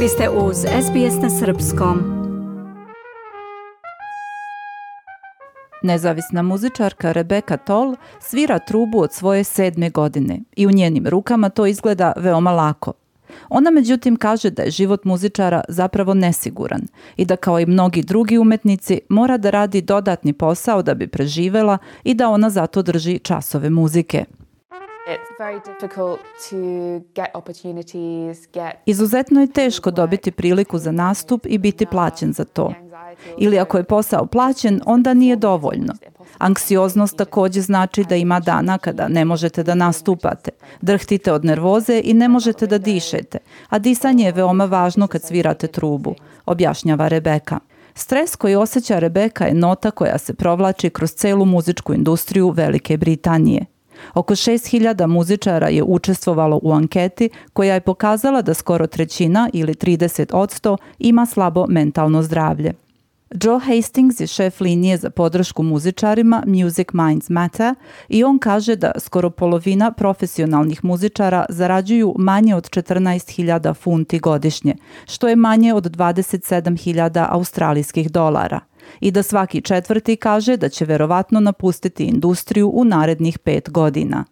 Vi ste uz SBS na srpskom. Nezavisna muzičarka Rebecca Toll svira trubu od svoje 7. godine i u njenim rukama to izgleda veoma lako. Ona međutim kaže da je život muzičara zapravo nesiguran i da kao i mnogi drugi umetnici mora da radi dodatni posao da bi preživela i da ona zato drži časove muzike. Izuzetno je teško dobiti priliku za nastup i biti plaćen za to. Ili ako je posao plaćen, onda nije dovoljno. Anksioznost također znači da ima dana kada ne možete da nastupate. Drhtite od nervoze i ne možete da dišete, a disanje je veoma važno kad svirate trubu, objašnjava Rebecca. Stres koji osjeća Rebecca je nota koja se provlači kroz celu muzičku industriju Velike Britanije. Oko 6.000 muzičara je učestvovalo u anketi koja je pokazala da skoro trećina ili 30% ima slabo mentalno zdravlje. Joe Hastings je šef linije za podršku muzičarima Music Minds Matter i on kaže da skoro polovina profesionalnih muzičara zarađuju manje od 14.000 funti godišnje, što je manje od 27.000 australijskih dolara. I da svaki četvrti kaže da će verovatno napustiti industriju u narednih 5 godina.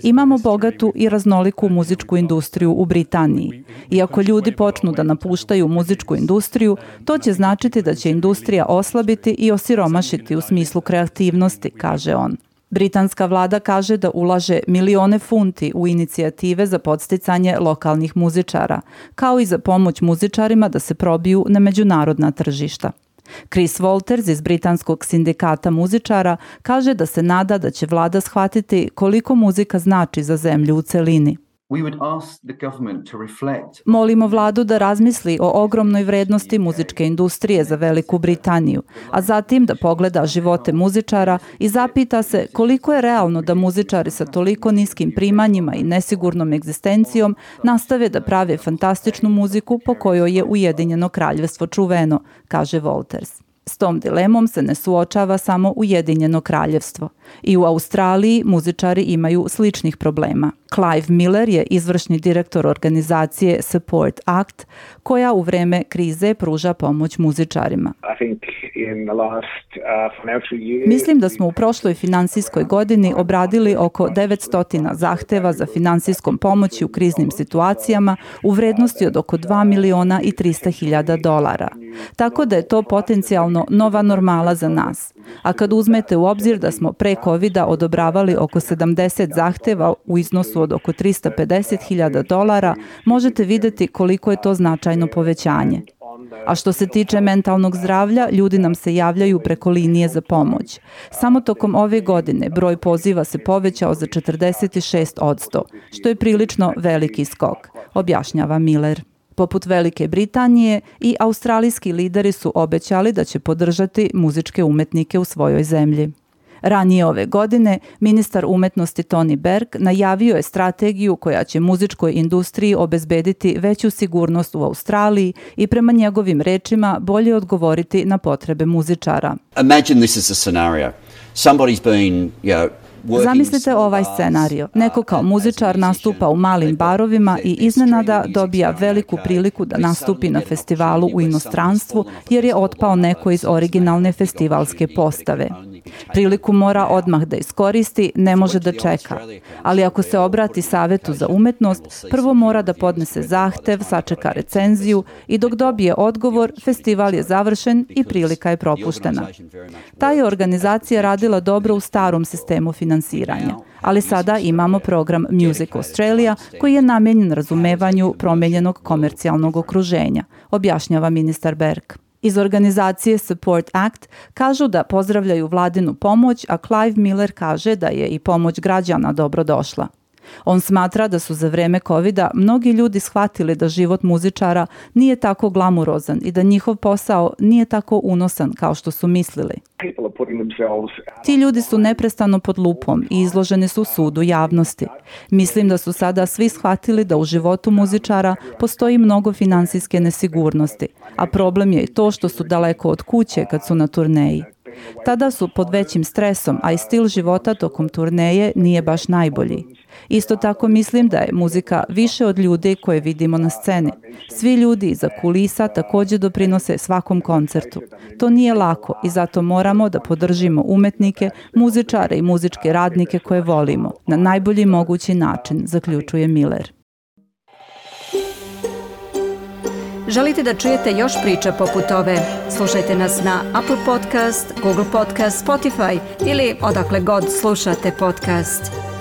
Imamo bogatu i raznoliku muzičku industriju u Britaniji. I ako ljudi počnu da napuštaju muzičku industriju, to će značiti da će industrija oslabiti i osiromašiti u smislu kreativnosti, kaže on. Britanska vlada kaže da ulaže milione funti u inicijative za podsticanje lokalnih muzičara, kao i za pomoć muzičarima da se probiju na međunarodna tržišta. Chris Walters iz Britanskog sindikata muzičara kaže da se nada da će vlada shvatiti koliko muzika znači za zemlju u celini. Molimo vladu da razmisli o ogromnoj vrednosti muzičke industrije za Veliku Britaniju, a zatim da pogleda živote muzičara i zapita se koliko je realno da muzičari sa toliko niskim primanjima i nesigurnom egzistencijom nastave da prave fantastičnu muziku po kojoj je Ujedinjeno kraljevstvo čuveno, kaže Walters. S tom dilemom se ne suočava samo Ujedinjeno kraljevstvo. I u Australiji muzičari imaju sličnih problema. Clive Miller je izvršni direktor organizacije Support Act, koja u vreme krize pruža pomoć muzičarima. Mislim da smo u prošloj finansijskoj godini obradili oko 900 zahteva za finansijskom pomoći u kriznim situacijama u vrednosti od oko $2.300.000. Tako da je to potencijalno nova normala za nas. A kad uzmete u obzir da smo pre COVID-a odobravali oko 70 zahteva u iznosu od oko $350.000, možete vidjeti koliko je to značajno povećanje. A što se tiče mentalnog zdravlja, ljudi nam se javljaju preko linije za pomoć. Samo tokom ove godine broj poziva se povećao za 46%, što je prilično veliki skok, objašnjava Miller. Poput Velike Britanije, i australijski lideri su obećali da će podržati muzičke umetnike u svojoj zemlji. Ranije ove godine, ministar umetnosti Tony Berg najavio je strategiju koja će muzičkoj industriji obezbediti veću sigurnost u Australiji i prema njegovim rečima bolje odgovoriti na potrebe muzičara. Imagine this is a scenario. Somebody's been, Zamislite ovaj scenario. Neko kao muzičar nastupa u malim barovima i iznenada dobija veliku priliku da nastupi na festivalu u inostranstvu jer je otpao neko iz originalne festivalske postave. Priliku mora odmah da iskoristi, ne može da čeka. Ali ako se obrati Savetu za umetnost, prvo mora da podnese zahtev, sačeka recenziju i dok dobije odgovor, festival je završen i prilika je propuštena. Ta je organizacija radila dobro u starom sistemu finansiranja, ali sada imamo program Music Australia koji je namijenjen razumevanju promijenjenog komercijalnog okruženja, objašnjava ministar Berg. Iz organizacije Support Act kažu da pozdravljaju vladinu pomoć, a Clive Miller kaže da je i pomoć građana dobro došla. On smatra da su za vreme COVID-a mnogi ljudi shvatili da život muzičara nije tako glamurozan i da njihov posao nije tako unosan kao što su mislili. Ti ljudi su neprestano pod lupom i izloženi su sudu javnosti. Mislim da su sada svi shvatili da u životu muzičara postoji mnogo finansijske nesigurnosti, a problem je i to što su daleko od kuće kad su na turneji. Tada su pod većim stresom, a i stil života tokom turneje nije baš najbolji. Isto tako mislim da je muzika više od ljudi koje vidimo na sceni. Svi ljudi iza kulisa također doprinose svakom koncertu. To nije lako i zato moramo da podržimo umetnike, muzičare i muzičke radnike koje volimo na najbolji mogući način, zaključuje Miller. Želite da čujete još priča poput ove? Slušajte nas na Apple Podcast, Google Podcast, Spotify ili odakle god slušate podcast.